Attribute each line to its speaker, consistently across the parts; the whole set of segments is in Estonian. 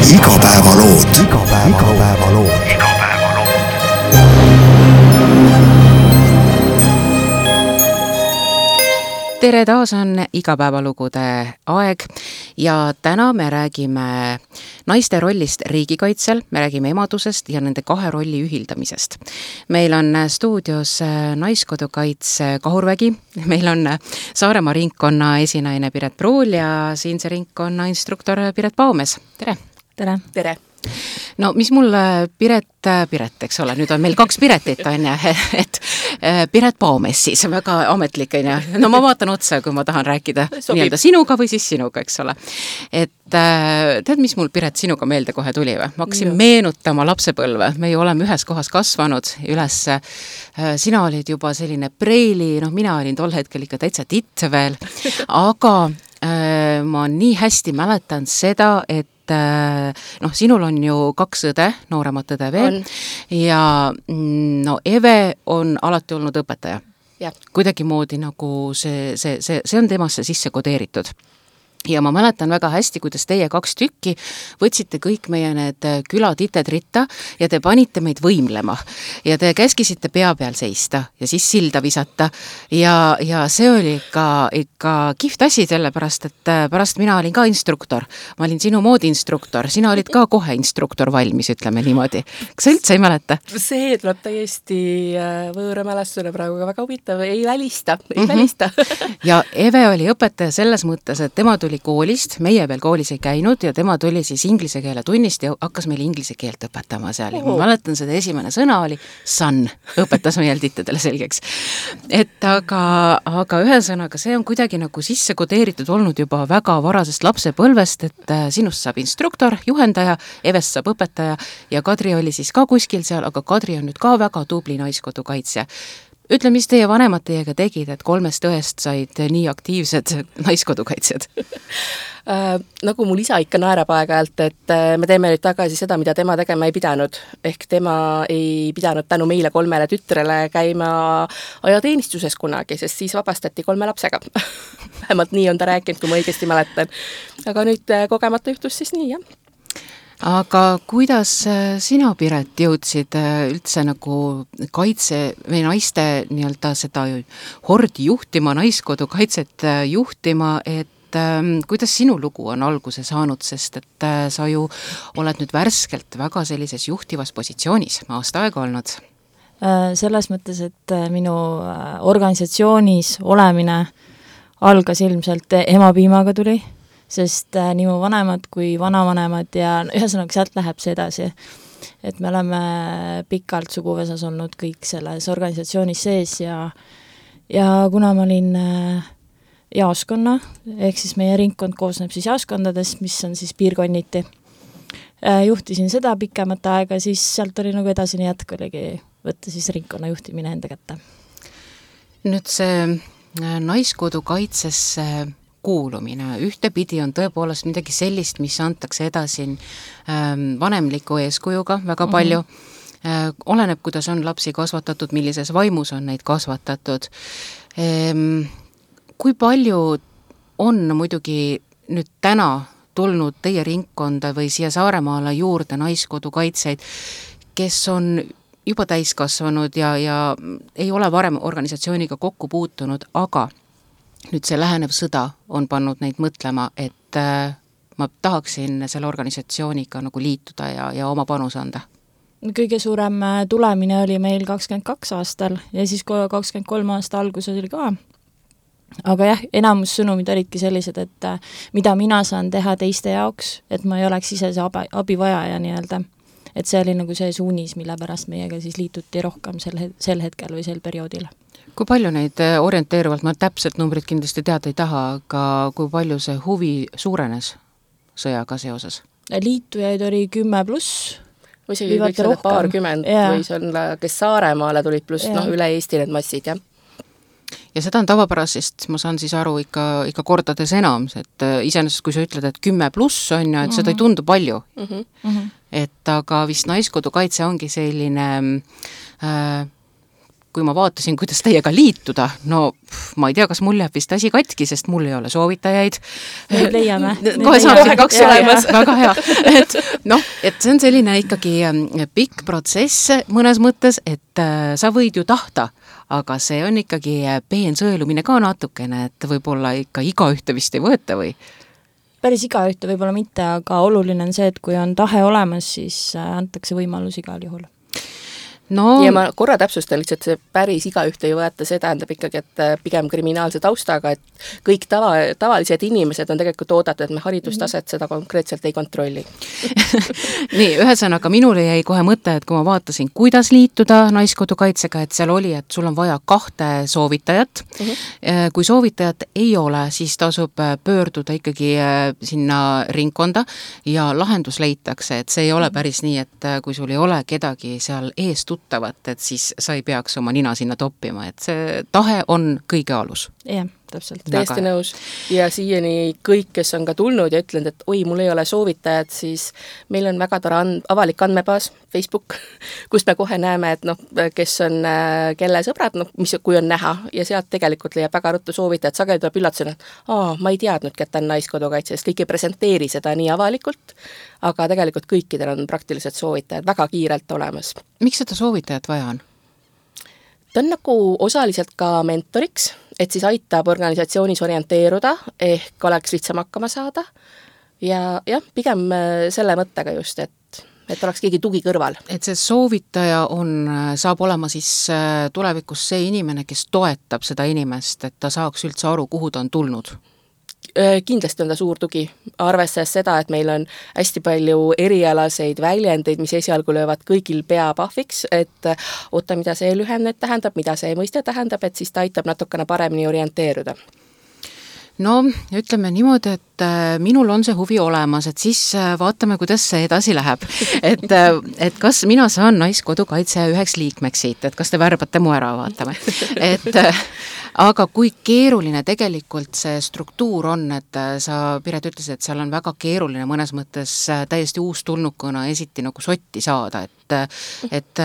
Speaker 1: Igapäevalood.
Speaker 2: Tere, taas on igapäevalugude aeg ja täna me räägime naiste rollist riigikaitsel, me räägime emadusest ja nende kahe rolli ühildamisest. Meil on stuudios Naiskodukaitse Kahurvägi, meil on Saaremaa ringkonna esinaine Piret Pruul ja siinse ringkonna instruktor Piret Paumes. Tere!
Speaker 3: Tere!
Speaker 4: Tere!
Speaker 2: No mis mul Piret, eks ole, nüüd on meil kaks Piretit, on ja, et Piret Paumes siis, väga ametlik, on ja. No ma vaatan otsa, kui ma tahan rääkida nii-öelda sinuga või siis sinuga, eks ole. Et tead, mis mul Piret sinuga meelde kohe tuli või? Ma hakkasin meenutama lapsepõlve, me ju oleme ühes kohas kasvanud üles. Sina olid juba selline preili, mina olin tol hetkel ikka täitsa titt veel, aga ma nii hästi mäletan seda, et sinul on ju kaks õde, nooremat õde veel, ja Eve on alati olnud õpetaja.
Speaker 4: Ja.
Speaker 2: Kuidagi moodi nagu see on temasse sisse kodeeritud. Ja ma mäletan väga hästi, kuidas teie kaks tükki võtsite kõik meie need külatited ritta ja te panite meid võimlema ja te käskisite pea peal seista ja siis silda visata ja see oli ikka kihvt asi, sellepärast, et pärast mina olin ka instruktor. Ma olin sinu moodi instruktor, sina olid ka kohe instruktor valmis, ütleme niimoodi. Kas sa üldse ei mäleta?
Speaker 4: See tuleb täiesti võõra mälestusele praegu väga huvitav, ei välista.
Speaker 2: Ja Eve oli õpetaja selles mõttes, et tema tuli koolist, meie veel koolis ei käinud ja tema tuli siis inglise keele tunnist ja hakkas meil inglise keelt õpetama seal. Ma mäletan, seda esimene sõna oli sun, õpetas meil tittedele selgeks. Et aga ühesõnaga, see on kuidagi nagu sisse kodeeritud olnud juba väga varasest lapsepõlvest, et sinust saab instruktor, juhendaja, Evest saab õpetaja ja Kadri oli siis ka kuskil seal, aga Kadri on nüüd ka väga tubli naiskodukaitsja. Ütle, mis teie vanemad teiega tegid, et 3 õest said nii aktiivsed naiskodukaitsjad?
Speaker 4: Nagu mul isa ikka naerab aeg-ajalt, et me teeme nüüd tagasi seda, mida tema tegema ei pidanud. Ehk tema ei pidanud tänu meile 3 tütrele käima ajateenistuses kunagi, sest siis vabastati 3 lapsega. Vähemalt nii on ta rääkinud, kui ma õigesti mäletan. Aga nüüd kogemata juhtus siis nii, jah.
Speaker 2: Aga kuidas sina, Piret, jõudsid üldse nagu kaitse või naiste nii-öelda seda hordi juhtima, naiskodukaitset juhtima, et kuidas sinu lugu on alguse saanud, sest et sa ju oled nüüd värskelt väga sellises juhtivas positsioonis aasta aega olnud?
Speaker 3: Selles mõttes, et minu organisatsioonis olemine algas ilmselt emapiimaga tuli, sest nii mu vanemad kui vanavanemad ja ühesõnaga sealt läheb see edasi. Et me oleme pikalt suguvõsas olnud kõik selles organisatsioonis sees ja kuna ma olin jaaskonna, ehk siis meie ringkond koosneb siis jaaskondadest, mis on siis piirkonniti, juhtisin seda pikemat aega, siis sealt oli nagu edasine jätk oligi võtta siis ringkonna juhtimine enda kätte. Nüüd see naiskodukaitsesse kuulumine. Ühtepidi on tõepoolest midagi sellist, mis antakse edasi vanemliku eeskujuga väga palju. Oleneb, kuidas on lapsi kasvatatud, millises vaimus on neid kasvatatud. Kui palju on muidugi nüüd täna tulnud teie ringkonda või siia Saaremaale juurde naiskodukaitseid, kes on juba täiskasvanud ja ei ole varem organisatsiooniga kokku puutunud, aga nüüd see lähenev sõda on pannud neid mõtlema, et ma tahaksin selle organisatsiooniga nagu liituda ja oma panus anda. Kõige suurem tulemine oli meil 22 aastal ja siis 23 aasta alguses oli ka. Aga jah, enamus sõnumid olidki sellised, et mida mina saan teha teiste jaoks, et ma ei oleks ise see abivajaja nii-öelda. Et see oli nagu see suunis, mille pärast meiega siis liituti rohkem sel hetkel või sel perioodil.
Speaker 2: Kui palju neid orienteeruvalt, ma täpselt numbrit kindlasti teada ei taha, aga kui palju see huvi suurenes sõjaga seoses?
Speaker 3: Liitujaid oli 10+.
Speaker 4: Isegi võiks olla 20 või see on, kes Saaremaale tulid pluss üle Eesti need massid, jah.
Speaker 2: Ja seda on tavapärasest, ma saan siis aru ikka kordades enam, et iseenesest kui sa ütled, et 10+ on ja et seda ei tundu palju. Et aga vist naiskodukaitse ongi selline kui ma vaatasin, kuidas teiega liituda, no ma ei tea, kas mul jääb vist asi katki, sest mul ei ole soovitajaid.
Speaker 1: Nüüd leiame.
Speaker 2: Kohe saab see 2 olemas. Väga hea. Et see on selline ikkagi pikk protsess mõnes mõttes, et sa võid ju tahta, aga see on ikkagi peensõelumine ka natukene, et võib-olla ikka igaühte vist ei võeta või?
Speaker 1: Päris igaühte võib-olla mitte, aga oluline on see, et kui on tahe olemas, siis antakse võimalus igal juhul.
Speaker 4: No. Ja ma korra täpsustan lihtsalt, see päris igaühte ei võeta, see tähendab ikkagi, et pigem kriminaalse taustaga, et kõik tavalised inimesed on tegelikult oodatud, et me haridustaset seda konkreetselt ei kontrolli.
Speaker 2: Nii, ühesõnaga minule jäi kohe mõte, et kui ma vaatasin, kuidas liituda Naiskodukaitsega, et seal oli, et sul on vaja 2 soovitajat. Kui soovitajat ei ole, siis tasub pöörduda ikkagi sinna ringkonda ja lahendus leitakse, et see ei ole päris nii, et kui sul ei ole kedagi seal ees tuttavat, et siis sa ei peaks oma nina sinna toppima, et see tahe on kõige alus.
Speaker 1: Jah, täpselt.
Speaker 4: Täiesti nõus. Ja siiani kõik, kes on ka tulnud ja ütlenud, et oi, mul ei ole soovitajad, siis meil on väga tore avalik andmebaas, Facebook, kust me kohe näeme, et kes on kelle sõbrad, kui on näha, ja sealt tegelikult leiab väga ruttu soovitajad, sageli tuleb üllatusena, et ma ei teadnudki, et ta on Naiskodukaitses, kõik ei presenteeri seda nii avalikult, aga tegelikult kõikidel on praktiliselt soovitajad väga kiirelt olemas.
Speaker 2: Miks seda soovitajat vaja on?
Speaker 4: Ta on nagu osaliselt ka mentoriks, et siis aitab organisatsioonis orienteeruda, ehk oleks lihtsam hakkama saada ja pigem selle mõttega just, et oleks keegi tugi kõrval.
Speaker 2: Et see soovitaja saab olema siis tulevikus see inimene, kes toetab seda inimest, et ta saaks üldse aru, kuhu ta on tulnud?
Speaker 4: Kindlasti on ta suur tugi, arvestades seda, et meil on hästi palju erialaseid väljendeid, mis esialgu löövad kõigil pea pahviks, et oota, mida see lühend tähendab, mida see mõiste tähendab, et siis ta aitab natukene paremini orienteeruda.
Speaker 2: No, ütleme niimoodi, et minul on see huvi olemas, et siis vaatame, kuidas see edasi läheb. Et kas mina saan Naiskodukaitse 1 liikmeks siit, et kas te värbate mu ära, vaatame. Aga kui keeruline tegelikult see struktuur on, et sa, Piret, ütlesid, et seal on väga keeruline mõnes mõttes täiesti uustulnukuna esiti nagu sotti saada, et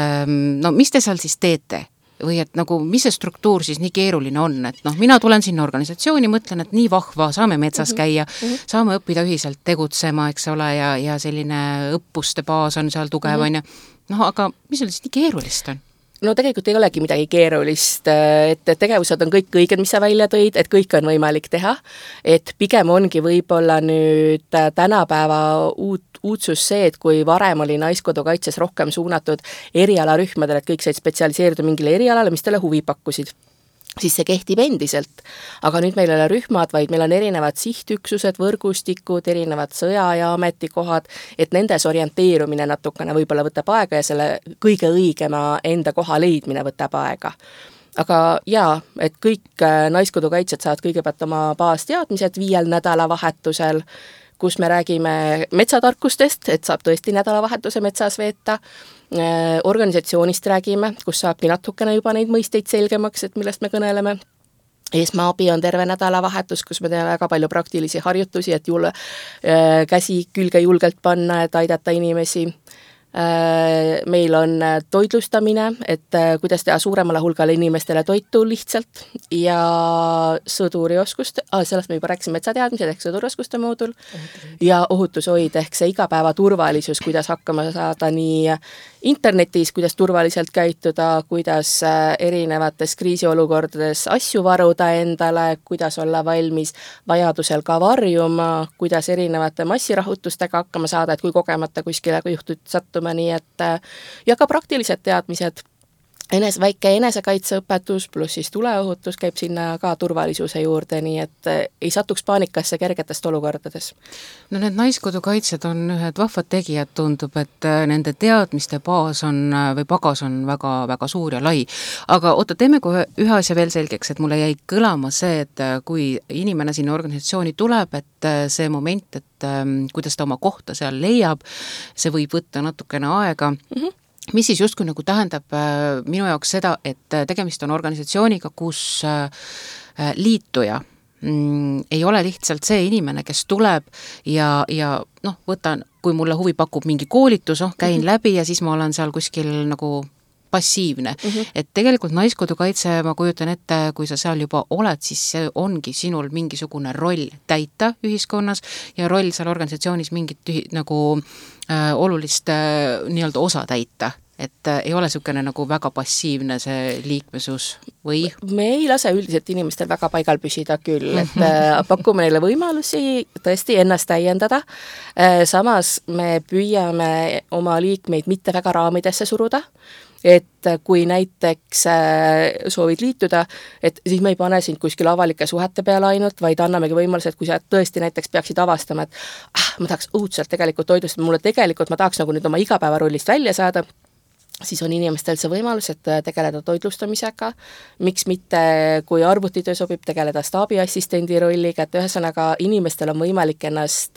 Speaker 2: mis te seal siis teete? Või et nagu, mis see struktuur siis nii keeruline on, et mina tulen sinna organisatsiooni, mõtlen, et nii vahva, saame metsas käia, saame õppida ühiselt tegutsema, eks ole, ja selline õppuste baas on seal tugev, on ja aga mis seal siis nii keerulist on?
Speaker 4: No tegelikult ei olegi midagi keerulist, et tegevused on kõik õiged, mis sa välja tõid, et kõik on võimalik teha, et pigem ongi võib-olla nüüd tänapäeva uudsus see, et kui varem oli Naiskodukaitses rohkem suunatud erialarühmadele, et kõik said spetsialiseeruda mingile erialale, mis talle huvi pakkusid, siis see kehtib endiselt. Aga nüüd meil ei ole rühmad, vaid meil on erinevad sihtüksused, võrgustikud, erinevad sõja- ja ametikohad, et nendes orienteerumine natukene võib-olla võtab aega ja selle kõige õigema enda koha leidmine võtab aega. Aga jaa, et kõik Naiskodukaitsjad saavad kõigepealt oma baasteadmised 5 nädalavahetusel, kus me räägime metsatarkustest, et saab tõesti nädalavahetuse metsas veeta, organisatsioonist räägime, kus saabki natukene juba neid mõisteid selgemaks, et millest me kõneleme. Esmaabi on terve nädalavahetus, kus me teeme väga palju praktilisi harjutusi, et käsi külge julgelt panna, et aidata inimesi. Meil on toitlustamine, et kuidas teha suuremale hulgale inimestele toitu lihtsalt ja sõdurioskust, sellest me juba rääkisime metsateadmised ehk sõdurioskuste moodul ja ohutushoid ehk see igapäeva turvalisus, kuidas hakkama saada nii internetis, kuidas turvaliselt käituda, kuidas erinevates kriisiolukordades asju varuda endale, kuidas olla valmis vajadusel ka varjuma, kuidas erinevate massirahutustega hakkama saada, et kui kogemata kuskile juhtud sattuma, nii et ja ka praktilised teadmised, väike enesekaitseõpetus pluss siis tuleohutus käib sinna ka turvalisuse juurde, nii et ei satuks paanikasse kergetest olukordades.
Speaker 2: No need Naiskodukaitsjad on ühed vahvad tegijad, tundub, et nende teadmiste baas või pagas on väga-väga suur ja lai. Aga oota, teeme kohe ühe asja veel selgeks, et mulle jäi kõlama see, et kui inimene sinna organisatsiooni tuleb, et see moment, et kuidas ta oma kohta seal leiab, see võib võtta natukene aega. Mis siis justkui nagu tähendab minu jaoks seda, et tegemist on organisatsiooniga, kus liituja ei ole lihtsalt see inimene, kes tuleb ja võtan, kui mulle huvi pakub mingi koolitus, käin läbi ja siis ma olen seal kuskil nagu
Speaker 3: passiivne. Et tegelikult Naiskodukaitse, ma kujutan ette, kui sa seal juba oled, siis see ongi sinul mingisugune roll täita ühiskonnas ja roll seal organisatsioonis mingit olulist nii-öelda osa täita. Et ei ole niisugune nagu väga passiivne see liikmesus või?
Speaker 4: Me ei lase üldiselt inimestel väga paigal püsida küll, et pakume neile võimalusi tõesti ennast täiendada. Samas me püüame oma liikmeid mitte väga raamidesse suruda, et kui näiteks soovid liituda, et siis me ei pane sind kuskil avalike suhete peale ainult, vaid annamegi võimaluse, et kui sa tõesti näiteks peaksid avastama, et ma tahaks õudselt tegelikult toidust, ma tahaks nagu nüüd oma igapäevarollist välja saada, siis on inimestel see võimalus, et tegeleda toitlustamisega, miks mitte, kui arvutitöö sobib, tegeleda staabiassistendi rolliga, et ühesõnaga inimestel on võimalik ennast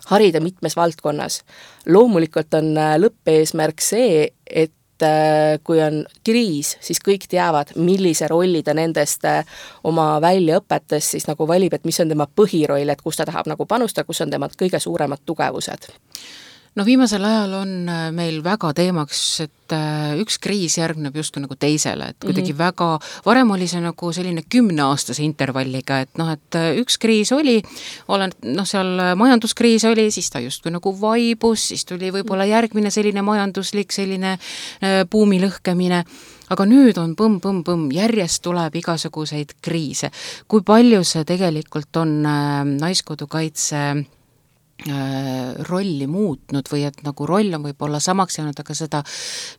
Speaker 4: harida mitmes valdkonnas. Loomulikult on lõppeesmärk see, et kui on kriis, siis kõik teavad, millise rolli ta nendest oma väljaõpetes siis nagu valib, et mis on tema põhiroll, et kus ta tahab nagu panustada, kus on tema kõige suuremad tugevused.
Speaker 3: No viimasel ajal on meil väga teemaks, et üks kriis järgneb justkui nagu teisele, et kuidagi väga, varem oli see nagu selline 10-aastase intervalliga, et üks kriis oli, seal majanduskriis oli, siis ta justkui nagu vaibus, siis tuli võib-olla järgmine selline majanduslik, selline buumi lõhkemine, aga nüüd on põmm, järjest tuleb igasuguseid kriise. Kui palju see tegelikult on Naiskodukaitse rolli muutnud või et nagu roll on võib-olla samaks jäänud, aga seda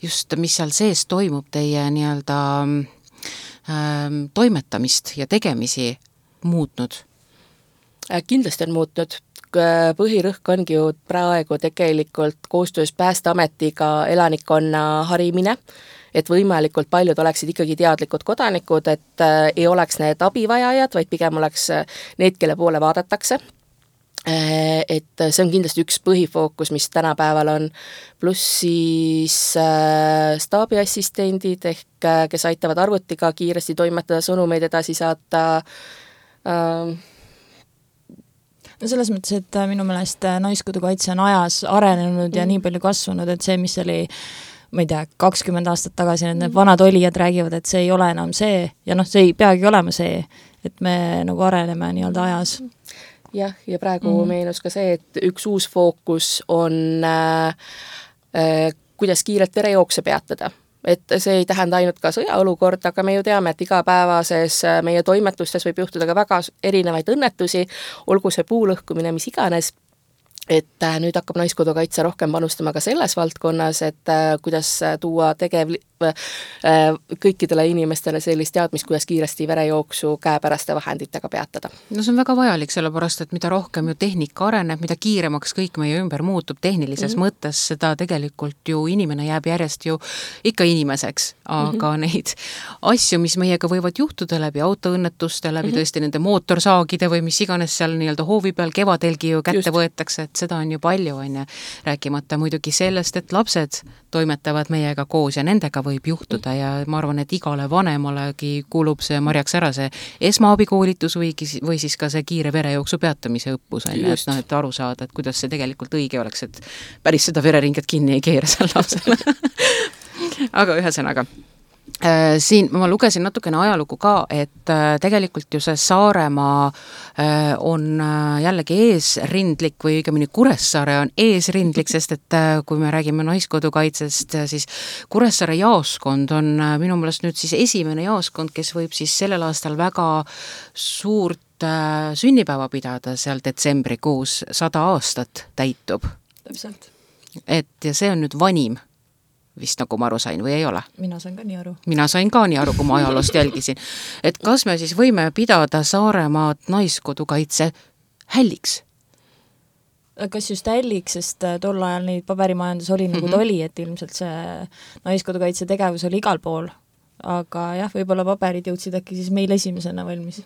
Speaker 3: just, mis seal sees toimub, teie nii-öelda toimetamist ja tegemisi muutnud?
Speaker 4: Kindlasti on muutnud. Põhirõhk ongi ju praegu tegelikult koostöös Päästeametiga elanikkonna harimine, et võimalikult paljud oleksid ikkagi teadlikud kodanikud, et ei oleks need abivajajad, vaid pigem oleks need, kelle poole vaadatakse. Et see on kindlasti üks põhifookus, mis tänapäeval on, pluss siis staabiassistendid ehk kes aitavad arvutiga kiiresti toimetada, sõnumeid edasi saata.
Speaker 1: No selles mõttes, et minu meelest Naiskodukaitse on ajas arenenud ja nii palju kasvanud, et see, mis oli ma ei tea, 20 aastat tagasi need vanad olijad räägivad, et see ei ole enam see ja see ei peagi olema see, et me nagu areneme nii-öelda ajas.
Speaker 4: Jah, ja praegu meenus ka see, et üks uus fookus on kuidas kiirelt verejookse peatada. Et see ei tähenda ainult ka sõjaolukord, aga me ju teame, et igapäevases meie toimetustes võib juhtuda ka väga erinevaid õnnetusi, olgu see puulõhkumine, mis iganes, et nüüd hakkab Naiskodukaitse rohkem panustama ka selles valdkonnas, et kuidas tuua kõikidele inimestele sellist teadmist, kuidas kiiresti verejooksu käepäraste vahenditega peatada.
Speaker 3: No see on väga vajalik, sellepärast, et mida rohkem ju tehnika areneb, mida kiiremaks kõik meie ümber muutub tehnilises mõttes, seda tegelikult ju inimene jääb järjest ju ikka inimeseks, aga neid asju, mis meiega võivad juhtuda läbi autoõnnetuste, läbi tõesti nende mootorsaagide või mis iganes seal nii-öelda hoovi peal kevadelgi ju kätte võetakse, et seda on ju palju, rääkimata muidugi sellest, et lapsed toimetavad meiega koos ja nendega võib juhtuda ja ma arvan, et igale vanemalegi kuulub see marjaks ära see esmaabikoolitus või siis ka see kiire verejooksu peatamise õppus, et aru saada, et kuidas see tegelikult õige oleks, et päris seda vereringet kinni ei keera seal lapsele. Aga ühesõnaga, siin ma lugesin natukene ajalugu ka, et tegelikult ju see Saaremaa on jällegi eesrindlik või õigemini Kuressaare on eesrindlik, sest et kui me räägime Naiskodukaitsest, siis Kuressaare jaoskond on minu meelest nüüd siis esimene jaoskond, kes võib siis sellel aastal väga suurt sünnipäeva pidada seal detsembrikuus, 100 aastat täitub.
Speaker 1: Täpselt.
Speaker 3: Ja see on nüüd vanim vist nagu ma aru sain või ei ole?
Speaker 1: Mina sain ka nii aru.
Speaker 3: Mina sain ka nii aru, kui ma ajaloost jälgisin. Et kas me siis võime pidada Saaremaad Naiskodukaitse hälliks?
Speaker 1: Kas just hälliks, sest tol ajal neid paberimajandus oli nagu ta oli, et ilmselt see Naiskodukaitse tegevus oli igal pool. Aga jah, võib-olla paberid jõudsid äkki siis meil esimesena valmis.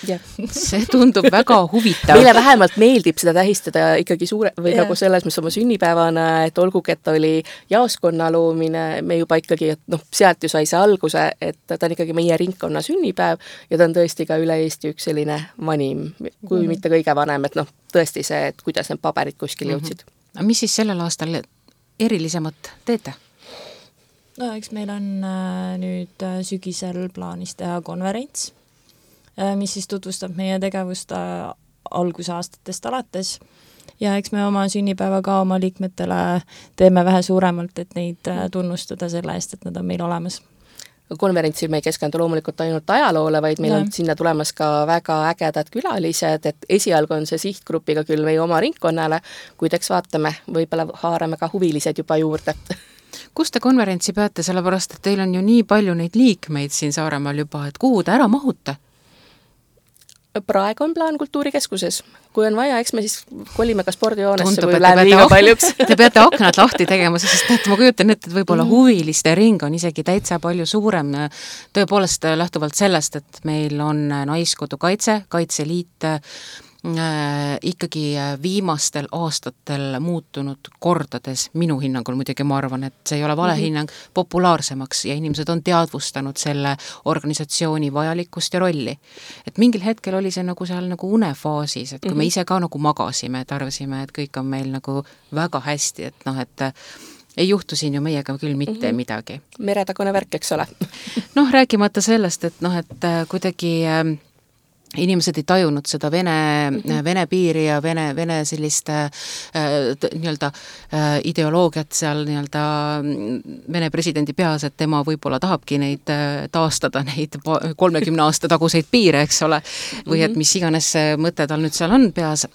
Speaker 4: Yeah.
Speaker 3: See tundub väga huvitav.
Speaker 4: Meile vähemalt meeldib seda tähistada ikkagi või nagu selles, mis oma sünnipäevana, et olgugi, et oli jaoskonna loomine, me juba ikkagi, et sealt ju sai see alguse, et ta on ikkagi meie ringkonna sünnipäev ja ta on tõesti ka üle Eesti üks selline vanim, kui mitte kõige vanem, et tõesti see, et kuidas need paberid kuskil jõudsid.
Speaker 3: Mis siis sellel aastal erilisemat teete?
Speaker 1: No eks meil on nüüd sügisel plaanis teha konverents, mis siis tutvustab meie tegevust algusaastatest alates ja eks me oma sünnipäeva ka oma liikmetele teeme vähe suuremalt, et neid tunnustada selle eest, et nad on meil olemas.
Speaker 4: Konverentsil me ei keskendu loomulikult ainult ajaloole, vaid meil on sinna tulemas ka väga ägedad külalised, et esialgu on see sihtgrupiga küll meie oma ringkonnale, kuid eks vaatame, võib-olla haarame ka huvilised juba juurde.
Speaker 3: Kus te konverentsi peate, sellepärast, et teil on ju nii palju neid liikmeid siin Saaremaal juba, et kuhu te ära mahute?
Speaker 4: Praegu on plaan Kultuurikeskuses. Kui on vaja, eks me siis kolime ka spordijoonesse, kui läheb liiga paljuks.
Speaker 3: Te peate aknad lahti tegema, sest et ma kujutan ette, et võib-olla huviliste ring on isegi täitsa palju suurem. Tõepoolest lähtuvalt sellest, et meil on Naiskodu kaitse, Kaitseliit, ikkagi viimastel aastatel muutunud kordades, minu hinnangul muidugi ma arvan, et see ei ole vale hinnang, populaarsemaks ja inimesed on teadvustanud selle organisatsiooni vajalikkust ja rolli. Et mingil hetkel oli see nagu seal nagu unefaasis, et kui me ise ka nagu magasime, et arvasime, et kõik on meil nagu väga hästi, et noh, et ei juhtu siin ju meiega küll mitte midagi.
Speaker 4: Meretagune värk, eks ole.
Speaker 3: Noh, rääkimata sellest, et noh, et kuidagi inimesed ei tajunud seda Vene piiri ja Vene sellist nii-öelda ideoloogiat seal nii-öelda Vene presidendi peas, et tema võib-olla tahabki neid taastada, neid 30 aasta taguseid piire, eks ole, või et mis iganes mõte tal nüüd seal on peas.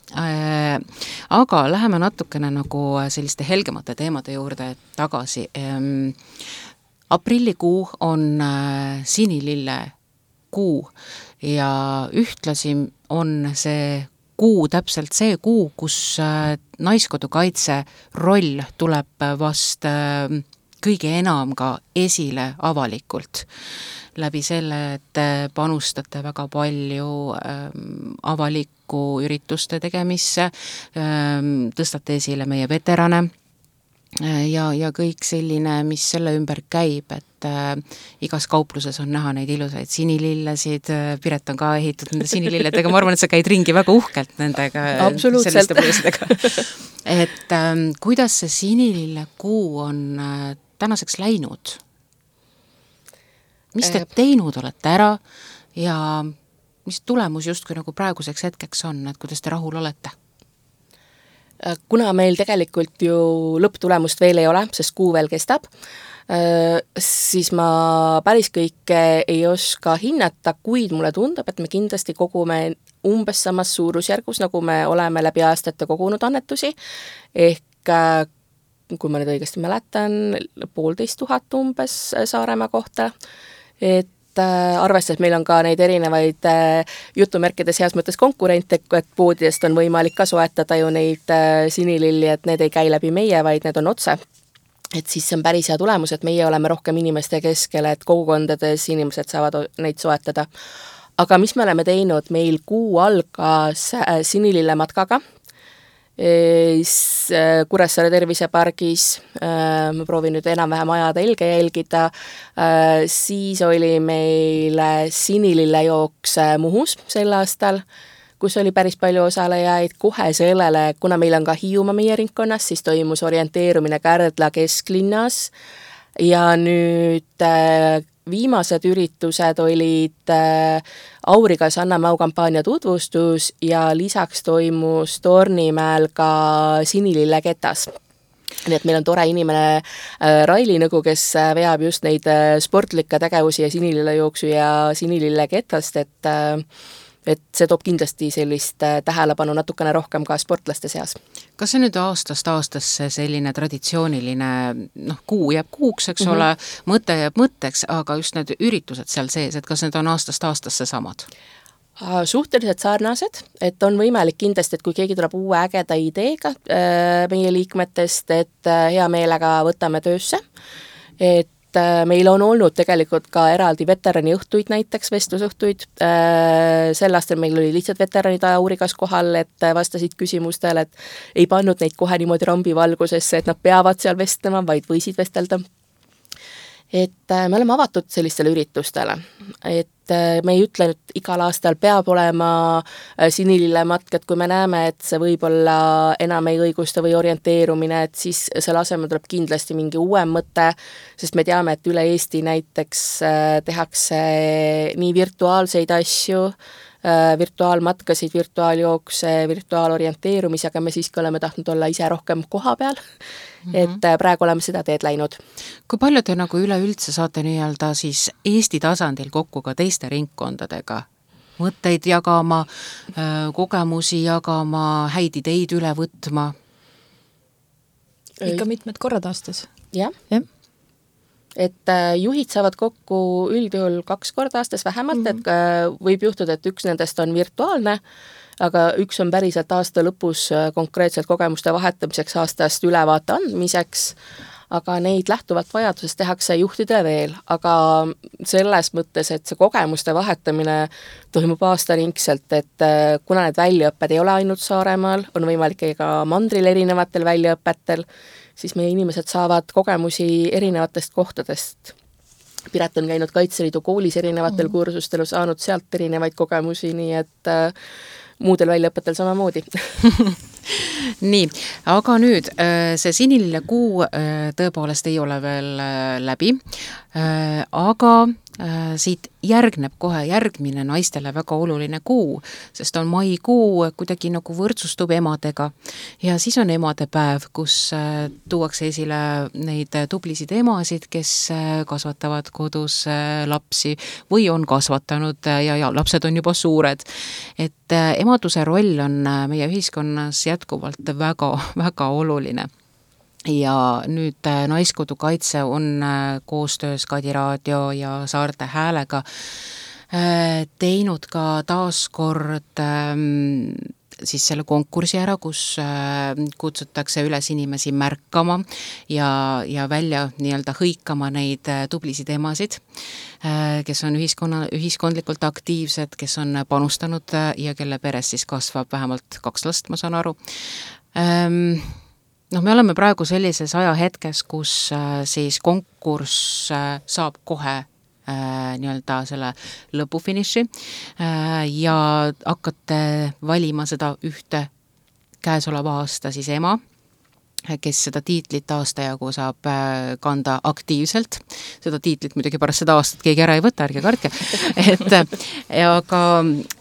Speaker 3: Aga läheme natukene nagu selliste helgemate teemade juurde tagasi. Aprillikuu on sinilille kuu ja ühtlasi on see kuu täpselt see kuu, kus Naiskodu kaitse roll tuleb vast kõige enam ka esile avalikult. Läbi selle, et panustate väga palju avaliku ürituste tegemisse, tõstate esile meie veterane ja kõik selline, mis selle ümber käib, et igas kaupluses on näha neid ilusaid sinilillesid, Piret on ka ehitud nende sinililledega, ma arvan, et sa käid ringi väga uhkelt nendega, selliste põõsidega. Et kuidas see sinilille kuu on tänaseks läinud? Mis te teinud olete ära ja mis tulemus justkui nagu praeguseks hetkeks on, et kuidas te rahul olete?
Speaker 4: Kuna meil tegelikult ju lõpptulemust veel ei ole, sest kuu veel kestab, siis ma päris kõike ei oska hinnata, kuid mulle tundub, et me kindlasti kogume umbes samas suurusjärgus, nagu me oleme läbi aastate kogunud annetusi, ehk kui ma nüüd õigesti mäletan, 1500 umbes Saaremaa kohta, et arvestades, et meil on ka neid erinevaid jutumärkides heas mõttes konkurente, et poodidest on võimalik ka soetada ju neid sinililli, et need ei käi läbi meie, vaid need on otse. Et siis see on päris hea tulemus, et meie oleme rohkem inimeste keskel, et kogukondades inimesed saavad neid soetada. Aga mis me oleme teinud, meil kuu algas sinilille matkaga, Kuressaare tervisepargis, ma proovin nüüd enam-vähem ajada helge jälgida, siis oli meil sinilille jooks Muhus sel aastal, kus oli päris palju osalejaid, kohe sellele, kuna meil on ka Hiiumaa meie ringkonnas, siis toimus orienteerumine Kärdla kesklinnas ja nüüd viimased üritused olid Aurigas Anna Mau kampaania tutvustus ja lisaks toimus Tornimäel ka Sinilille ketas. Nii et meil on tore inimene Raili Nõgu, kes veab just neid sportlikke tegevusi ja sinilille jooksu ja sinilille ketast, et see toob kindlasti sellist tähelepanu natukene rohkem ka sportlaste seas.
Speaker 3: Kas see nüüd aastast aastasse selline traditsiooniline, kuu jääb kuuks, eks ole, mõte jääb mõtteks, aga just need üritused seal sees, et kas need on aastast aastasse samad?
Speaker 4: Suhteliselt sarnased, et on võimalik kindlasti, et kui keegi tuleb uue ägeda ideega meie liikmetest, et hea meelega võtame töösse, et meil on olnud tegelikult ka eraldi veterani õhtuid, näiteks vestlusõhtuid. Sel aastal meil oli lihtsalt veteranid Aurigas kohal, et vastasid küsimustele, et ei pannud neid kohe niimoodi rambivalgusesse, et nad peavad seal vestlema, vaid võisid vestelda. Et me oleme avatud sellistele üritustele, et me ei ütle nüüd igal aastal peab olema sinilillematk, et kui me näeme, et see võib-olla enam ei õigusta või orienteerumine, et siis selle asemel tuleb kindlasti mingi uuem mõte, sest me teame, et üle Eesti näiteks tehakse nii virtuaalseid asju, virtuaalmatkasid, virtuaaljookse, virtuaalorienteerumisi, aga me siiski oleme tahtnud olla ise rohkem koha peal, et praegu oleme seda teed läinud.
Speaker 3: Kui palju te nagu üleüldse saate nii-öelda siis Eesti tasandil kokku ka teiste ringkondadega? Mõtteid jagama, kogemusi jagama, häid ideid üle võtma?
Speaker 1: Ikka mitmed korrad aastas.
Speaker 4: Jah. Et juhid saavad kokku üldjuhul 2 korda aastas vähemalt, et võib juhtuda, et üks nendest on virtuaalne, aga üks on päriselt aasta lõpus konkreetselt kogemuste vahetamiseks, aastast ülevaate andmiseks, aga neid lähtuvalt vajadusest tehakse juhtidele veel, aga selles mõttes, et see kogemuste vahetamine toimub aastaringselt, et kuna need väljaõpped ei ole ainult Saaremaal, on võimalik ka mandril erinevatel väljaõpetel, siis meie inimesed saavad kogemusi erinevatest kohtadest. Piret on käinud Kaitseliidu koolis erinevatel kursustel, saanud sealt erinevaid kogemusi, nii et muudel väljaõpetel samamoodi.
Speaker 3: Nii, aga nüüd see siniline kuu tõepoolest ei ole veel läbi, aga siit järgneb kohe järgmine naistele väga oluline kuu, sest on maikuu, kuidagi nagu võrdsustub emadega ja siis on emadepäev, kus tuuakse esile neid tublisid emasid, kes kasvatavad kodus lapsi või on kasvatanud ja lapsed on juba suured. Et emaduse roll on meie ühiskonnas jätkuvalt väga oluline. Ja nüüd Naiskodu kaitse on koostöös Kadi Raadio ja Saarte Häälega teinud ka taaskord siis selle konkursi ära, kus kutsutakse üles inimesi märkama ja välja nii-öelda hõikama neid tublisid emasid, kes on ühiskondlikult aktiivsed, kes on panustanud ja kelle peres siis kasvab vähemalt 2 last, ma saan aru. Me oleme praegu sellises ajahetkes, kus siis konkurss saab kohe nii-öelda selle lõpufiniši ja hakkate valima seda ühte käesoleva aasta siis ema, kes seda tiitlit aasta jagu saab kanda aktiivselt. Seda tiitlit muidugi pärast seda aastat keegi ära ei võta, ärge kartke. Aga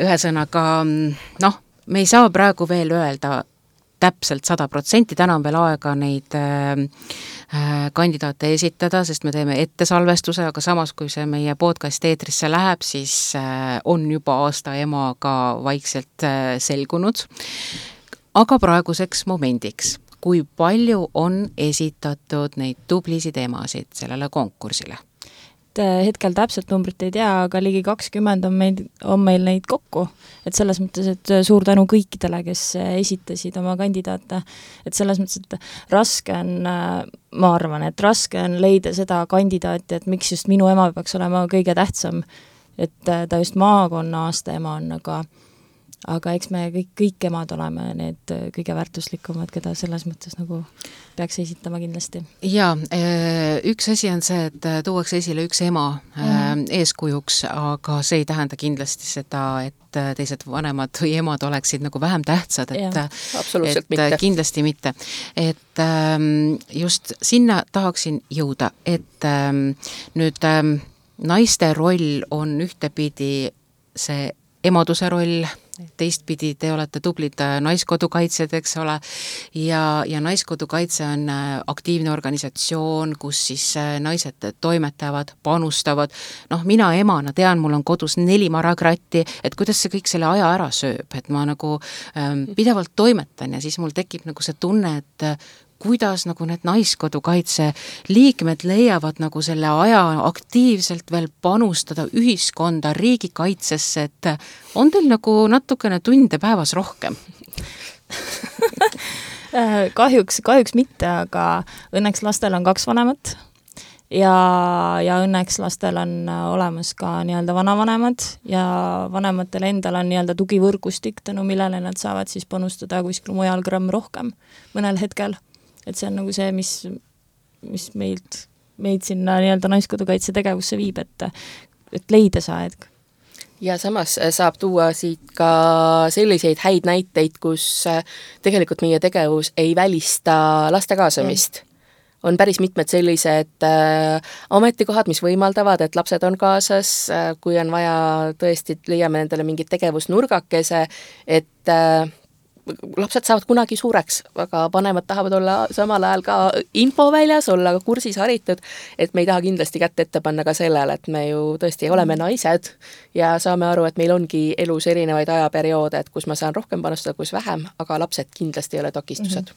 Speaker 3: ühesõnaga, me ei saa praegu veel öelda täpselt 100%, täna on veel aega neid kandidaate esitada, sest me teeme ettesalvestuse, aga samas, kui see meie podcast eetrisse läheb, siis on juba aasta ema ka vaikselt selgunud. Aga praeguseks momendiks, kui palju on esitatud neid tublisid emasid sellele konkursile?
Speaker 1: Hetkel täpselt numbrit ei tea, aga ligi 20 on meil neid kokku. Et selles mõttes, et suur tänu kõikidele, kes esitasid oma kandidaate. Et selles mõttes, et raske on, ma arvan, et raske on leida seda kandidaati, et miks just minu ema peaks olema kõige tähtsam. Et ta just maakonna aasta ema on, aga eks me kõik emad oleme need kõige väärtuslikumad, keda selles mõttes nagu peaks esitama kindlasti.
Speaker 3: Ja, üks asi on see, et tuuakse esile üks ema eeskujuks, aga see ei tähenda kindlasti seda, et teised vanemad või emad oleksid nagu vähem tähtsad,
Speaker 4: absoluutselt mitte.
Speaker 3: Kindlasti mitte. Et just sinna tahaksin jõuda, et nüüd naiste roll on ühtepidi see emaduse roll, teistpidi te olete tublid Naiskodukaitsjad, eks ole, ja Naiskodukaitse on aktiivne organisatsioon, kus siis naised toimetavad, panustavad. Mina emana tean, mul on kodus 4 marakratti, et kuidas see kõik selle aja ära sööb, et ma nagu pidevalt toimetan ja siis mul tekib nagu see tunne, et kuidas nagu need Naiskodukaitse liikmed leiavad nagu selle aja aktiivselt veel panustada ühiskonda, riigikaitsesse, et on teil nagu natukene tunde päevas rohkem?
Speaker 1: Kahjuks mitte, aga õnneks lastel on 2 vanemat ja õnneks lastel on olemas ka nii-öelda vanavanemad ja vanematel endal on nii-öelda tugivõrgustik, tänu millele nad saavad siis panustada kuskil mujal gramm rohkem mõnel hetkel. Et see on nagu see, mis meid sinna nii-öelda Naiskodukaitse tegevusse viib, et leida sa, et
Speaker 4: Ja samas saab tuua siit ka selliseid häid näiteid, kus tegelikult meie tegevus ei välista laste kaasamist. On päris mitmed sellised ametikohad, mis võimaldavad, et lapsed on kaasas, kui on vaja tõesti, leiame nendele mingit tegevusnurgakese, et lapsed saavad kunagi suureks, aga vanemad tahavad olla samal ajal ka infoväljas, olla kursis haritud, et me ei taha kindlasti kätt ette panna ka sellele, et me ju tõesti oleme naised ja saame aru, et meil ongi elus erinevaid ajaperioode, et kus ma saan rohkem panustada, kus vähem, aga lapsed kindlasti ei ole takistused.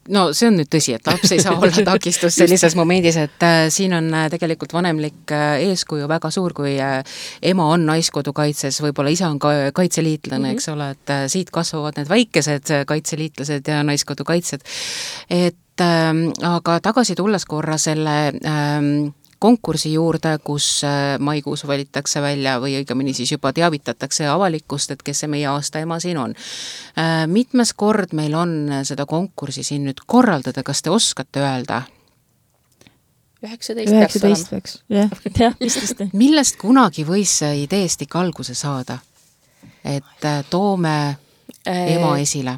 Speaker 3: No see on nüüd tõsi, et laps ei saa olla takistus sellises momendis, et siin on tegelikult vanemlik eeskuju väga suur, kui ema on naiskodukaitses, võib-olla isa on kaitseliitlane, eks ole, et siit kasvavad need väikesed kaitseliitlased ja naiskodukaitsjad. Et aga tagasi tulles korra selle konkursi juurde, kus maikuus valitakse välja või õigemini siis juba teavitatakse avalikkust, et kes see meie aasta ema siin on. Mitmes kord meil on seda konkursi siin nüüd korraldada, kas te oskate öelda?
Speaker 1: 19 peaks. Jah, vist.
Speaker 3: Millest kunagi võis see ideest ikka alguse saada? Et toome ema esile.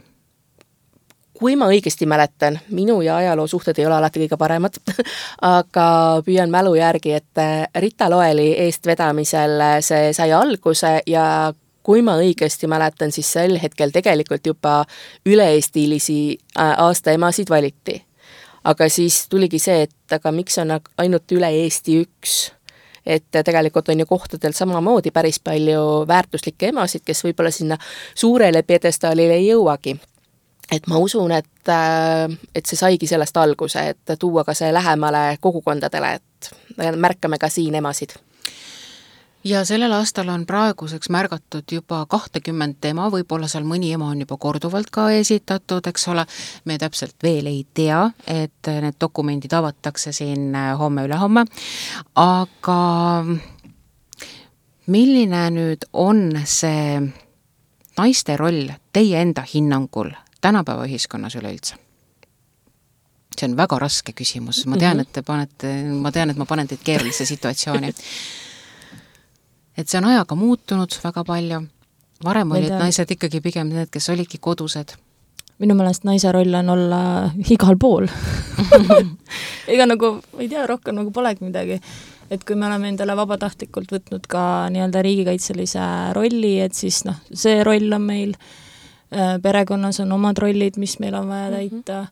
Speaker 4: Kui ma õigesti mäletan, minu ja ajaloo suhted ei ole alati kõige paremad, aga püüan mälu järgi, et Rita Loeli eestvedamisel see sai alguse ja kui ma õigesti mäletan, siis sel hetkel tegelikult juba üle-eestilisi aasta emasid valiti. Aga siis tuligi see, et aga miks on ainult üle Eesti üks? Et tegelikult on ju kohtadel samamoodi päris palju väärtuslikke emasid, kes võib-olla sinna suurele pjedestaalile ei jõuagi. Et ma usun, et see saigi sellest alguse, et tuua ka see lähemale kogukondadele, et märkame ka siin emasid.
Speaker 3: Ja sellel aastal on praeguseks märgatud juba 20 ema, võib-olla seal mõni ema on juba korduvalt ka esitatud, eks ole, me täpselt veel ei tea, et need dokumendid avatakse siin homme-ülehomme, aga milline nüüd on see naiste roll teie enda hinnangul tänapäeva ühiskonnas üleüldse? See on väga raske küsimus. Ma tean, et ma panen teid keerulisse situatsiooni. Et see on ajaga muutunud väga palju. Varem olid naised ikkagi pigem need, kes olidki kodused.
Speaker 1: Minu meelest naise roll on olla igal pool. Ega nagu, ei tea, rohkem nagu polegi midagi. Et kui me oleme endale vabatahtlikult võtnud ka nii-öelda riigikaitselise rolli, et siis see roll on meil, perekonnas on omad rollid, mis meil on vaja täita,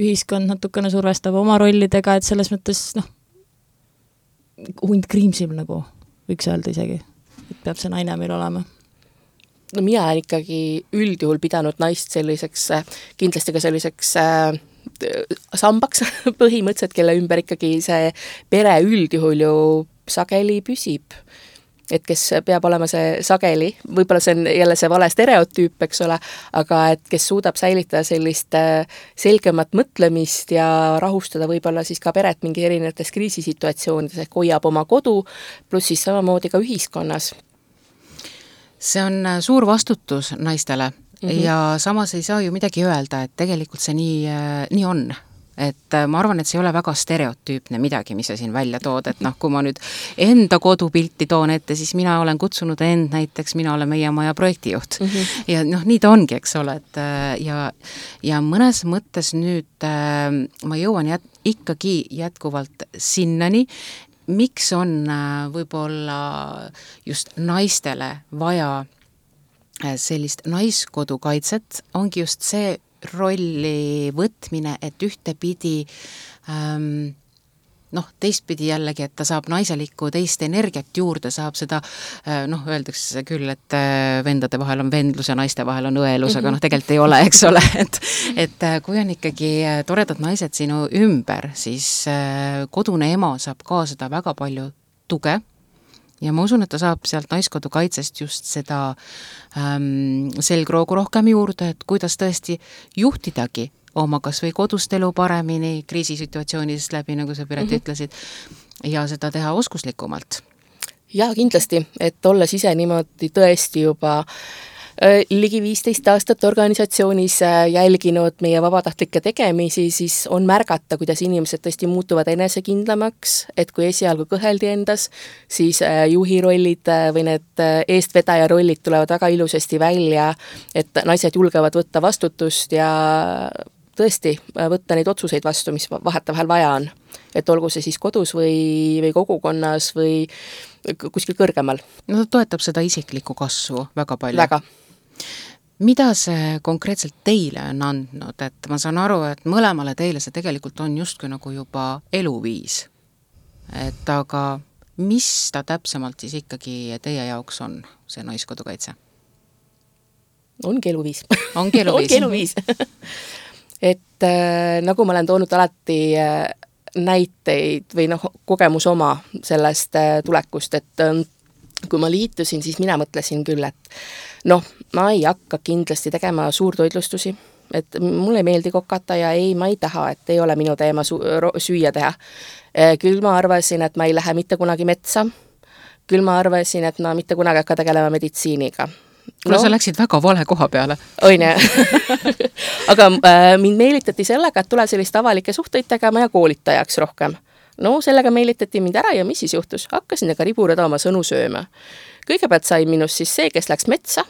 Speaker 1: ühiskond natukene survestab oma rollidega, et selles mõttes hund kriimsib nagu, võiks öelda isegi, et peab see naine meil olema.
Speaker 4: No mina olen ikkagi üldjuhul pidanud naist selliseks, kindlasti ka selliseks sambaks põhimõtteliselt, kelle ümber ikkagi see pere üldjuhul ju sageli püsib. Et kes peab olema see sageli, võib-olla see on jälle see vale stereotüüp, eks ole, aga et kes suudab säilitada sellist selgemat mõtlemist ja rahustada võib-olla siis ka peret mingi erinevates kriisisituatsioonides, ehk hoiab oma kodu, pluss siis samamoodi ka ühiskonnas.
Speaker 3: See on suur vastutus naistele ja samas ei saa ju midagi öelda, et tegelikult see nii on. Et ma arvan, et see ei ole väga stereotüüpne midagi, mis sa siin välja tood, et kui ma nüüd enda kodupilti toon ette, siis mina olen kutsunud end näiteks, mina olen meie maja projektijuht. Ja nii ta ongi, eks ole, et ja mõnes mõttes nüüd ma jõuan ikkagi jätkuvalt sinnani, miks on võib-olla just naistele vaja sellist naiskodukaitset, ongi just see rolli võtmine, et ühtepidi teistpidi jällegi, et ta saab naiselikku teist energiat juurde, saab seda, öeldakse küll, et vendade vahel on vendlus ja naiste vahel on õelus, aga tegelikult ei ole, eks ole, et kui on ikkagi toredad naised sinu ümber, siis kodune ema saab kaasada väga palju tuge, ja ma usun, et ta saab sealt naiskodukaitsest just seda selgroogu rohkem juurde, et kuidas tõesti juhtidagi oma kas või kodust elu paremini, kriisisituatsioonidest läbi, nagu sa Piret ütlesid, ja seda teha oskuslikumalt.
Speaker 4: Ja kindlasti, et olles ise niimoodi tõesti juba Ligi 15 aastat organisatsioonis jälginud meie vabatahtlikke tegemisi, siis on märgata, kuidas inimesed tõesti muutuvad enesekindlamaks, et kui esialgu kõheldi endas, siis juhi rollid või need eestvedaja rollid tulevad väga ilusasti välja, et naised julgevad võtta vastutust ja tõesti võtta neid otsuseid vastu, mis vahetevahel vaja on. Et olgu see siis kodus või kogukonnas või kuskil kõrgemal.
Speaker 3: No ta toetab seda isiklikku kasvu väga palju.
Speaker 4: Väga.
Speaker 3: Mida see konkreetselt teile on andnud, et ma saan aru, et mõlemale teile see tegelikult on justkui nagu juba eluviis. Et aga mis ta täpsemalt siis ikkagi teie jaoks on, see naiskodukaitse?
Speaker 4: Ongi eluviis.
Speaker 3: Ongi eluviis.
Speaker 4: Ongi eluviis. Et nagu ma olen toonud alati näiteid või kogemus oma sellest tulekust, et kui ma liitusin, siis mina mõtlesin küll, et ma ei hakka kindlasti tegema suurtoitlustusi, et mulle ei meeldi kokata ja ma ei taha, et ei ole minu teema süüa teha. Küll ma arvasin, et ma ei lähe mitte kunagi metsa, küll ma arvasin, et ma mitte kunagi hakka tegelema meditsiiniga.
Speaker 3: Kuule, sa läksid väga vale koha peale.
Speaker 4: Oine. Aga mind meelitati sellega, et tule sellist avalikke suhteid tegema ja koolitajaks rohkem. Sellega meelitati mind ära ja mis siis juhtus? Hakkasin aga riburada oma sõnu sööma. Kõigepealt sai minust siis see, kes läks metsa,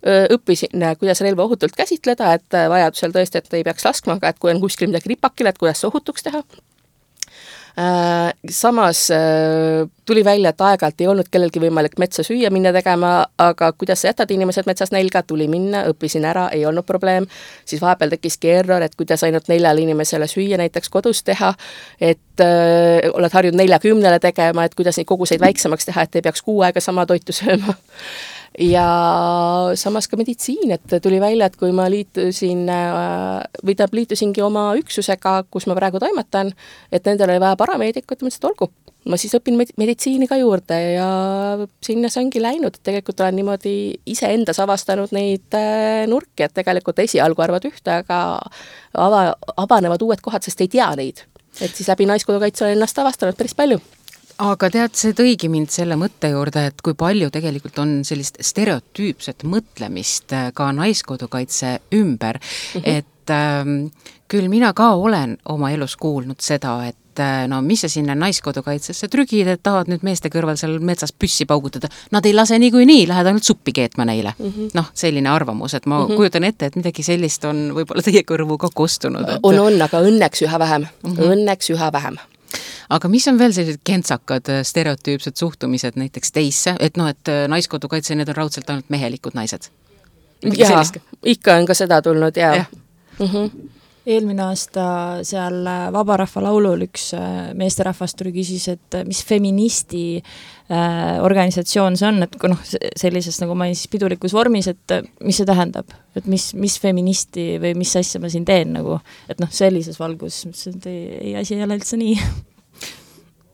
Speaker 4: õppisin, kuidas relva ohutult käsitleda, et vajadusel tõesti, et ei peaks laskma, aga et kui on kuskil midagi ripakil, et kuidas ohutuks teha. Samas tuli välja, et aeg-ajalt ei olnud kellelgi võimalik metsa süüa minna tegema, aga kuidas sa jätad inimesed metsas nälga, tuli minna, õppisin ära, ei olnud probleem. Siis vahepeal tekkiski error, et kuidas ainult 4 inimesele süüa näiteks kodus teha, et oled harjunud 40 tegema, et kuidas neid koguseid väiksemaks teha, et ei peaks 6 aega sama toitu sööma. Ja samas ka meditsiin, et tuli välja, et kui ma liitusingi oma üksusega, kus ma praegu toimetan, et nendel oli vaja parameedikut, mõtlesin, et olgu, ma siis õpin meditsiini ka juurde ja sinna see ongi läinud, et tegelikult olen niimoodi iseendas avastanud neid nurki, et tegelikult esialgu arvad ühte, aga avanevad uued kohad, sest ei tea neid. Et siis läbi naiskodukaitse olen ennast avastanud päris palju.
Speaker 3: Aga tead, see tõigi mind selle mõtte juurde, et kui palju tegelikult on sellist stereotüüpset mõtlemist ka naiskodukaitse ümber, et küll mina ka olen oma elus kuulnud seda, et mis sa sinna naiskodukaitsesse trügid, et tahad nüüd meeste kõrval seal metsas püssi paugutada, nad ei lase niikuinii, lähed ainult suppi keetma neile. Selline arvamus, et ma kujutan ette, et midagi sellist on võib-olla teie kõrvu ka kostunud. Et...
Speaker 4: On, aga õnneks üha vähem. Õnneks üha vähem.
Speaker 3: Aga mis on veel sellised kentsakad stereotüüpsed suhtumised näiteks teisse, et et naiskodukaitse, need on raudselt ainult mehelikud naised?
Speaker 4: Jaa, ikka on ka seda tulnud, jaa.
Speaker 1: Eelmine aasta seal Vabarahva laulul üks meesterahvast tuli küsis, et mis feministi organisatsioon see on, et kui sellises, nagu ma siis pidulikus vormis, et mis see tähendab, et mis feministi või mis asja ma siin teen, et sellises valgus, et ei asi ei ole üldse nii.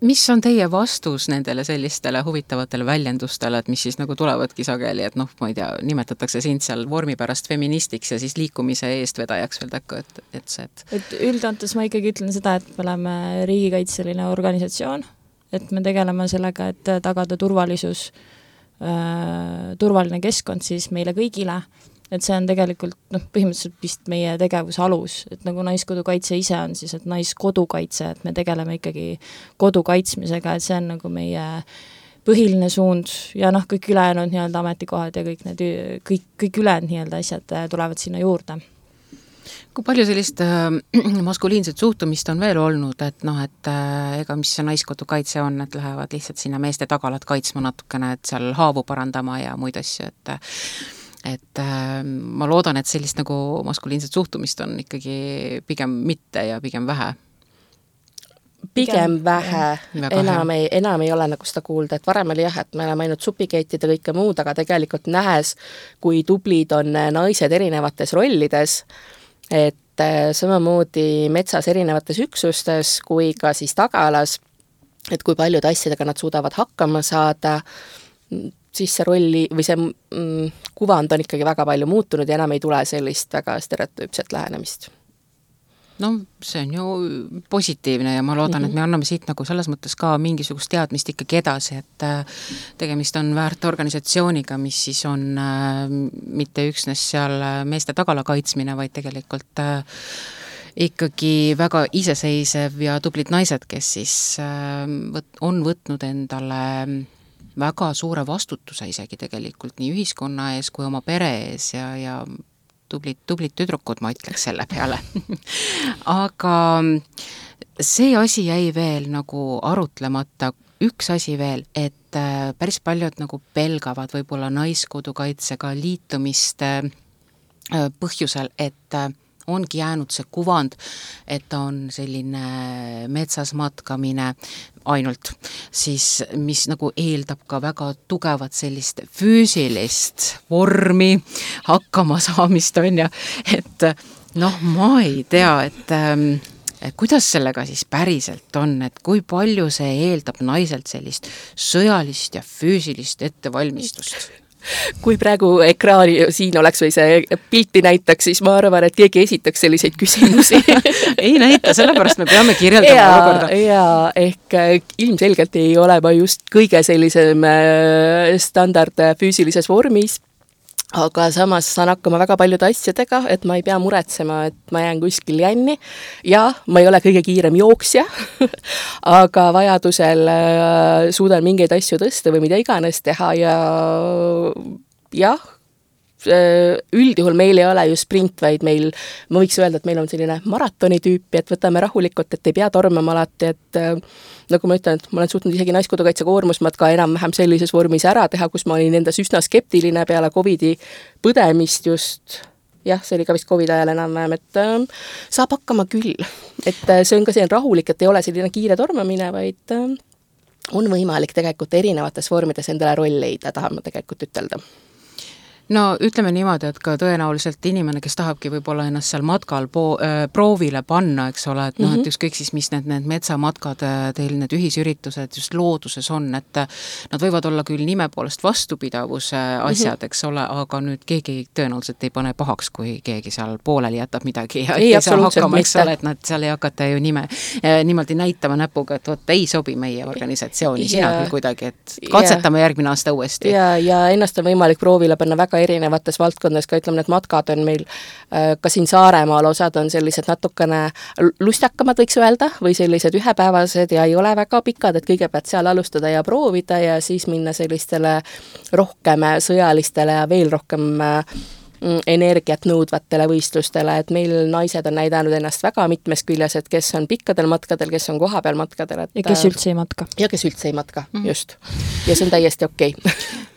Speaker 3: Mis on teie vastus nendele sellistele huvitavatele väljendustele, et mis siis tulevadki sageli, et ma ei tea, nimetatakse sind seal vormi pärast feministiks ja siis liikumise eestvedajaks veel takku, et
Speaker 1: üldantes ma ikkagi ütlen seda, et me oleme riigikaitseline organisatsioon, et me tegeleme sellega, et tagada turvalisus, turvaline keskkond siis meile kõigile, et see on tegelikult põhimõtteliselt vist meie tegevuse alus, et nagu naiskodukaitse ise on siis, et naiskodukaitse, et me tegeleme ikkagi kodu kaitsmisega, et see on nagu meie põhiline suund ja kõik ülejäänud ametikohad ja kõik ülejäänud asjad tulevad sinna juurde.
Speaker 3: Kui palju sellist maskuliinset suhtumist on veel olnud, et ega mis see naiskodukaitse on, et lähevad lihtsalt sinna meeste tagalat kaitsma natukene, et seal haavu parandama ja muid asju, et ma loodan, et sellist nagu maskuliinset suhtumist on ikkagi pigem mitte ja pigem vähe.
Speaker 4: Pigem vähe. Enam ei ole nagu seda kuulda, et varem oli et me oleme ainult supikeetid ja kõike muud, aga tegelikult nähes, kui tublid on naised erinevates rollides, et samamoodi metsas erinevates üksustes kui ka siis tagalas, et kui paljude asjadega nad suudavad hakkama saada, siis see rolli või see kuvand on ikkagi väga palju muutunud ja enam ei tule sellist väga stereotüüpset lähenemist.
Speaker 3: no see on ju positiivne ja ma loodan, et me anname siit nagu selles mõttes ka mingisugust teadmist ikkagi edasi, et tegemist on väärt organisatsiooniga, mis siis on mitte üksnes seal meeste tagala kaitsmine, vaid tegelikult ikkagi väga iseseisev ja tublid naised, kes siis on võtnud endale väga suure vastutuse isegi tegelikult nii ühiskonna ees kui oma pere ees ja tublid tüdrukud, ma ütleks selle peale. Aga see asi jäi veel nagu arutlemata, üks asi veel, et päris paljud nagu pelgavad võib-olla Naiskodukaitsega liitumist põhjusel, et ongi jäänud see kuvand, et on selline metsas matkamine ainult, siis mis nagu eeldab ka väga tugevat sellist füüsilist vormi, hakkama saamist on ja, et noh, ma ei tea, et kuidas sellega siis päriselt on, et kui palju see eeldab naiselt sellist sõjalist ja füüsilist ettevalmistust?
Speaker 4: Kui praegu ekraani siin oleks või see pilti näitaks, siis ma arvan, et keegi esitaks selliseid küsimusi.
Speaker 3: Ei näita, sellepärast me peame kirjeldama olukorda.
Speaker 4: Ja ehk ilmselgelt ei ole ma just kõige sellisem standard füüsilises vormis, aga samas saan hakkama väga paljude asjadega, et ma ei pea muretsema, et ma jään kuskil jänni. Ja ma ei ole kõige kiirem jooksja, aga vajadusel suudan mingeid asju tõsta või mida iganes teha ja jah, üldjuhul meil ei ole ju sprint, vaid meil, ma võiks öelda, et meil on selline maratoni tüüpi, et võtame rahulikult, et ei pea tormama alati, et nagu ma ütlen, et ma olen suutnud isegi Naiskodukaitse koormusmatka enam-vähem sellises vormis ära teha, kus ma olin endas üsna skeptiline peale COVID-i põdemist just, jah, see oli ka vist COVID ajal enam-vähem, et saab hakkama küll. Et see on ka selline rahulik, et ei ole selline kiire tormamine, vaid on võimalik tegelikult erinevates vormides endale roll leida, tahan ma tegelikult ütelda.
Speaker 3: No ütleme niimoodi, et ka tõenäoliselt inimene, kes tahabki võib-olla ennast seal matkal proovile panna, eks ole, et noh, et ükskõik siis, mis need metsamatkad, teil need ühisüritused just looduses on, et nad võivad olla küll nime poolest vastupidavuse asjad, eks ole, aga nüüd keegi tõenäoliselt ei pane pahaks, kui keegi seal pooleli jätab midagi ja ei saa hakkama, eks ole, et nad seal ei hakata ju niimoodi näitama näpuga, et vot ei sobi meie organisatsiooni, sina küll kuidagi, et katsetame järgmine aasta uuesti.
Speaker 4: Ja ennast on võimalik proovile panna väga erinevates valdkondades, ka ütleme, need matkad on meil ka siin Saaremaal, osad on sellised natukene lustakamad, võiks öelda, või sellised ühepäevased ja ei ole väga pikad, et kõigepealt seal alustada ja proovida ja siis minna sellistele rohkem sõjalistele ja veel rohkem energiat nõudvatele võistlustele, et meil naised on näidanud ennast väga mitmes küljes, et kes on pikkadel matkadel, kes on kohapeal matkadel.
Speaker 1: Ja kes üldse ei matka.
Speaker 4: Ja kes üldse ei matka, just. Ja see on täiesti okei.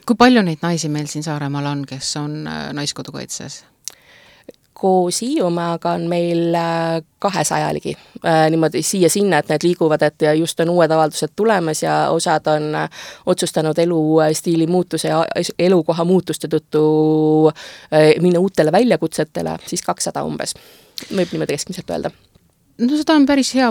Speaker 3: Kui palju neid naisi meil siin Saaremaal on, kes on Naiskodukaitses?
Speaker 4: Koos Hiiumaaga on meil 200 ligi. Niimoodi siia-sinna, et need liiguvad, et just on uued avaldused tulemas ja osad on otsustanud elustiili muutuse ja elukoha muutuste tõttu minna uutele väljakutsetele, siis 200 umbes. Võib niimoodi keskmiselt öelda.
Speaker 3: No seda on päris hea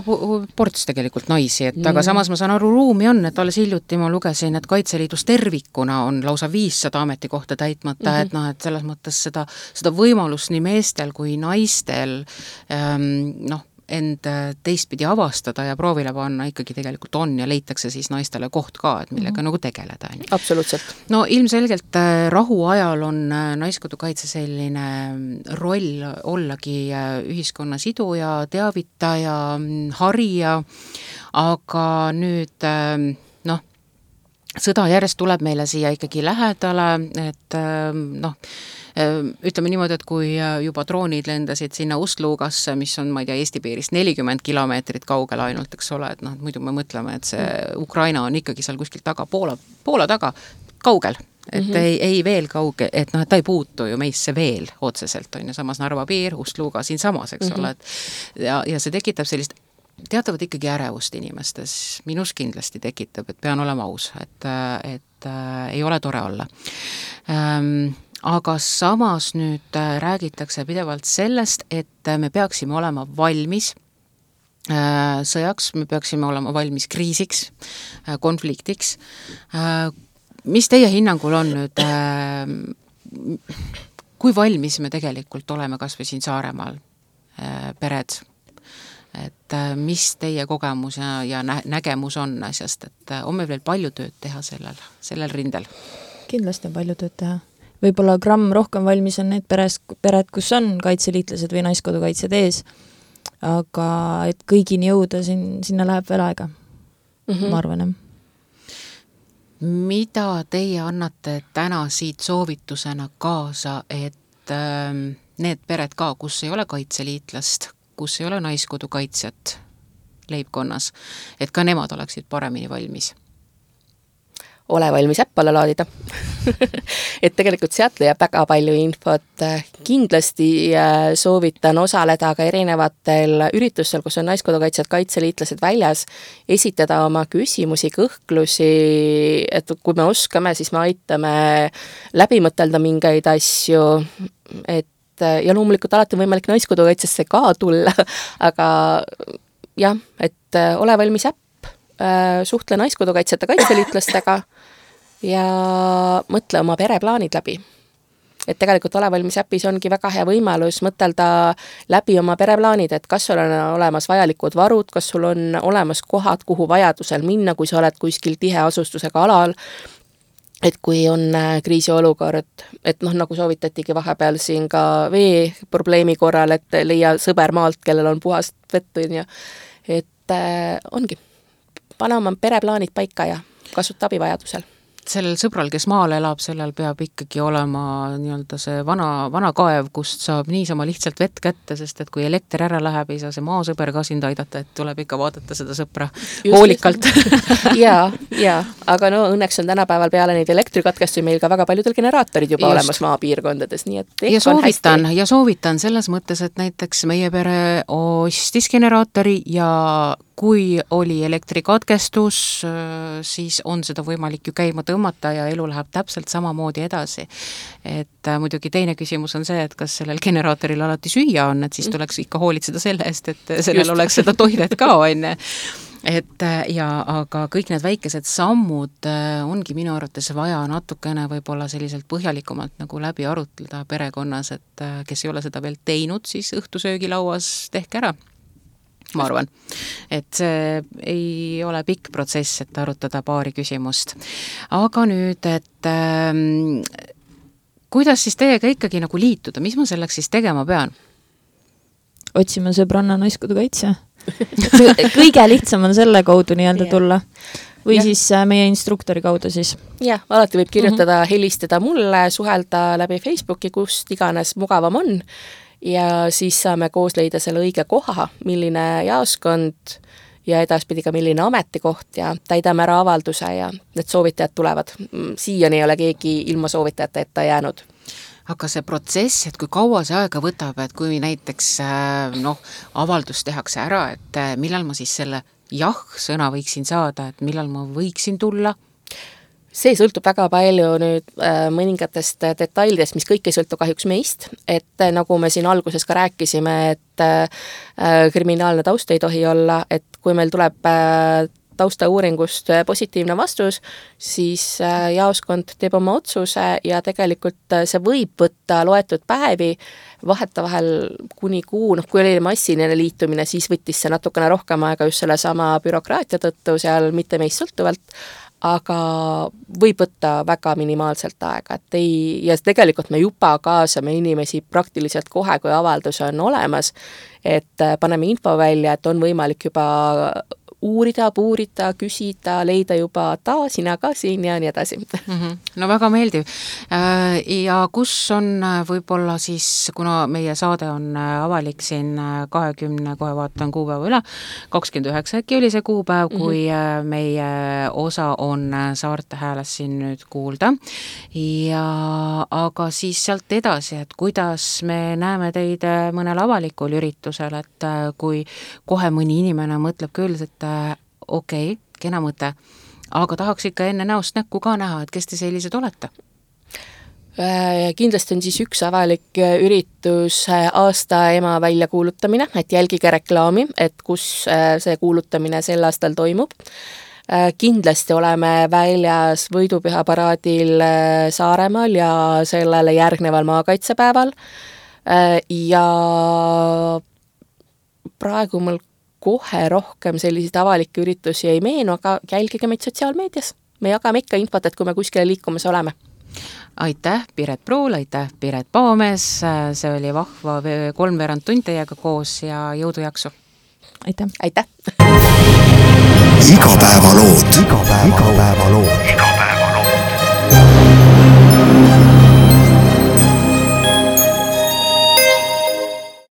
Speaker 3: ports tegelikult naisi, et aga samas ma saan aru, ruumi on, et alles hiljuti ma lugesin, et Kaitseliidus tervikuna on lausa 500 ametikohta täitmata, et noh, et selles mõttes seda võimalust nii meestel kui naistel end teistpidi avastada ja proovile panna ikkagi tegelikult on ja leitakse siis naistele koht ka, et millega nagu tegeleda.
Speaker 4: Absoluutselt.
Speaker 3: No ilmselgelt rahu ajal on Naiskodukaitse selline roll ollagi ühiskonna siduja, teavitaja, harija, aga nüüd sõda järjest tuleb meile siia ikkagi lähedale, et ütleme niimoodi, et kui juba droonid lendasid sinna Ust-Lugasse, mis on, ma ei tea, Eesti piirist 40 kilomeetrit kaugel ainult, eks ole, et noh, muidu me mõtleme, et see Ukraina on ikkagi seal kuskil taga, Poola taga, kaugel, et ei veel kauge, et noh, et ta ei puutu ju meisse veel otseselt, on ju, samas Narva piir, Ust-Luga siin samas, eks ole, et ja see tekitab sellist teatavat ikkagi ärevust inimestes, minus kindlasti tekitab, et pean olema aus, et ei ole tore olla. Aga samas nüüd räägitakse pidevalt sellest, et me peaksime olema valmis sõjaks, me peaksime olema valmis kriisiks, konfliktiks. Mis teie hinnangul on nüüd, kui valmis me tegelikult oleme kas või siin Saaremaal, pered, et mis teie kogemus ja nägemus on asjast, et on meil veel palju tööd teha sellel rindel?
Speaker 1: Kindlasti on palju tööd teha. Võib-olla gramm rohkem valmis on need pered, kus on kaitseliitlased või naiskodukaitsjad ees, aga et kõigini jõuda, sinna läheb veel aega, ma arvan, jah.
Speaker 3: Mida teie annate täna siit soovitusena kaasa, et need pered ka, kus ei ole kaitseliitlast, kus ei ole naiskodukaitsjat leibkonnas, et ka nemad oleksid paremini valmis?
Speaker 4: Ole valmis äpp alla laadida. Et tegelikult sealt leiab väga palju infot. Kindlasti soovitan osaleda ka erinevatel üritustel, kus on naiskodukaitsjad, kaitseliitlased väljas, esitada oma küsimusi, kõhklusi, et kui me oskame, siis me aitame läbi mõtelda mingeid asju, ja loomulikult alati on võimalik naiskodukaitsesse ka tulla, aga jah, et ole valmis äpp, suhtle naiskodukaitsjate kaitseliitlastega ja mõtle oma pereplaanid läbi. Et tegelikult Ole valmis äpis ongi väga hea võimalus mõtelda läbi oma pereplaanid, et kas sul on olemas vajalikud varud, kas sul on olemas kohad, kuhu vajadusel minna, kui sa oled kuskil tiheasustusega alal, et kui on kriisiolukord, et nagu soovitatigi vahepeal siin ka vee probleemi korral, et leia sõber maalt, kellel on puhast vett, et ongi. Pane oma pereplaanid paika ja kasuta abi vajadusel.
Speaker 3: Sellel sõbral, kes maal elab, sellel peab ikkagi olema nii-öelda see vana kaev, kust saab niisama lihtsalt vett kätte, sest et kui elekter ära läheb, ei saa see maasõber ka sind aidata, et tuleb ikka vaadata seda sõpra hoolikalt.
Speaker 4: ja, aga õnneks on tänapäeval peale neid elektrikatkestusi meil ka väga paljudel generaatorid juba olemas maapiirkondades, nii et
Speaker 3: ja soovitan selles mõttes, et näiteks meie pere ostis generaatori ja kui oli elektrikatkestus, siis on seda võimalik ju käima tõmmata ja elu läheb täpselt samamoodi edasi. Et muidugi teine küsimus on see, et kas sellel generaatoril alati süüa on, et siis tuleks ikka hoolitseda selle eest, et sellel oleks seda toidet ka, onne. Aga kõik need väikesed sammud ongi minu arvates vaja natukene võib-olla selliselt põhjalikumalt nagu läbi arutleda perekonnas, et kes ei ole seda veel teinud, siis õhtusöögilauas tehke ära. Ma arvan, et see ei ole pikk protsess, et arutada paari küsimust. Aga nüüd, et kuidas siis teiega ikkagi nagu liituda, mis ma selleks siis tegema pean?
Speaker 1: Otsime sõbranna naiskodukaitsja. Kõige lihtsam on selle kaudu nii-öelda tulla. Või siis meie instruktori kaudu siis.
Speaker 4: Jah, alati võib kirjutada, helistada mulle, suhelda läbi Facebooki, kust iganes mugavam on. Ja siis saame koos leida selle õige koha, milline jaoskond ja edaspidi ka milline ametikoht ja täidame ära avalduse ja need soovitajad tulevad. Siiani ei ole keegi ilma soovitajate ette jäänud.
Speaker 3: Aga see protsess, et kui kaua see aega võtab, et kui näiteks avaldus tehakse ära, et millal ma siis selle jah-sõna võiksin saada, et millal ma võiksin tulla?
Speaker 4: See sõltub väga palju nüüd mõningatest detailidest, mis kõik ei sõltu kahjuks meist, et nagu me siin alguses ka rääkisime, et kriminaalne taust ei tohi olla, et kui meil tuleb taustauuringust positiivne vastus, siis jaoskond teeb oma otsuse ja tegelikult see võib võtta loetud päevi, vahetavahel kuni kuu, kui oli massiline liitumine, siis võttis see natukene rohkem aega just selle sama bürokraatia tõttu seal mitte meist sõltuvalt, aga võib võtta väga minimaalselt aega, et ja tegelikult me juba kaasame inimesi praktiliselt kohe, kui avaldus on olemas, et paneme info välja, et on võimalik juba uurida, puurida, küsida, leida juba sina ka siin ja nii edasi.
Speaker 3: No väga meeldiv. Ja kus on võib-olla siis, kuna meie saade on avalik siin 20, kohe vaatan kuupäeva üle, 29 äkki oli see kuupäev, kui meie osa on Saarte Hääles siin nüüd kuulda. Aga siis sealt edasi, et kuidas me näeme teid mõnel avalikul üritusel, et kui kohe mõni inimene mõtleb küll, et okei, kena mõte, aga tahaks ikka enne näost näkku ka näha, et kes te sellised olete?
Speaker 4: Kindlasti on siis üks avalik üritus aasta ema väljakuulutamine, et jälgige reklaami, et kus see kuulutamine sel aastal toimub. Kindlasti oleme väljas võidupühaparaadil Saaremaal ja sellele järgneval maakaitsepäeval ja praegu mul kohe rohkem selliseid avalikke üritusi ei meenu, aga jälgige meid sotsiaalmeedias. Me jagame ikka infot, et kui me kuskile liikumas oleme.
Speaker 3: Aitäh, Piret Pruul, aitäh, Piret Paamees, see oli vahva 3 tund teiega koos ja jõudu jaksu!
Speaker 1: Aitäh!
Speaker 4: Aitäh!
Speaker 5: Igapäevalood.